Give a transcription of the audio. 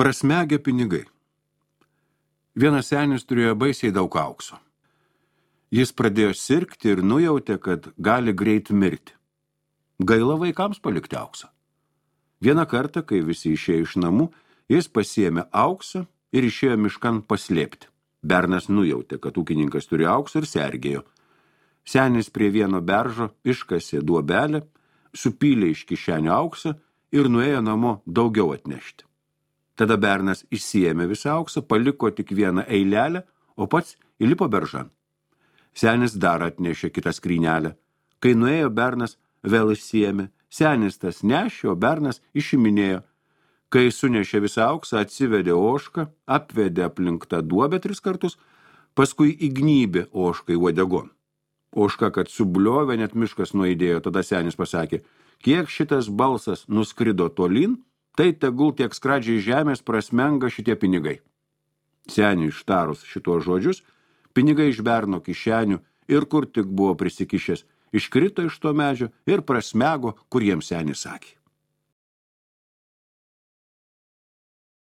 Prasmegę pinigai. Vienas senis turėjo baisiai daug aukso. Jis pradėjo sirgti ir nujautė, kad gali greit mirti. Gaila vaikams palikti auksą. Vieną kartą, kai visi išėjo iš namų, jis pasiėmė auksą ir išėjo miškan paslėpti. Bernas nujautė, kad ūkininkas turi auksą ir sergėjo. Senis prie vieno beržo iškasė duobelę, supylė iš kišenio auksą ir nuėjo namo daugiau atnešti. Tada bernas išsiėmė visą auksą, paliko tik vieną eilelę, o pats įlipo beržan. Senis dar atnešė kitą skrynelę. Kai nuėjo bernas, vėl išsiėmė. Senis tas nešė, o bernas išiminėjo. Kai sunešė visą auksą, atsivedė ožką, apvedė aplink tą duobę 3 kartus, paskui įgnybė ožkai uodegon. Ožka, kad subliovė, net miškas nuaidėjo, tada senis pasakė, kiek šitas balsas nuskrido tolyn, tai tegul tiek skradžiai žemės prasmenga šitie pinigai. Seniui ištarus šituos žodžius, pinigai iš berno kišenių ir kur tik buvo prisikišęs, iškrito iš to medžio ir prasmego, kur jiems senis sakė.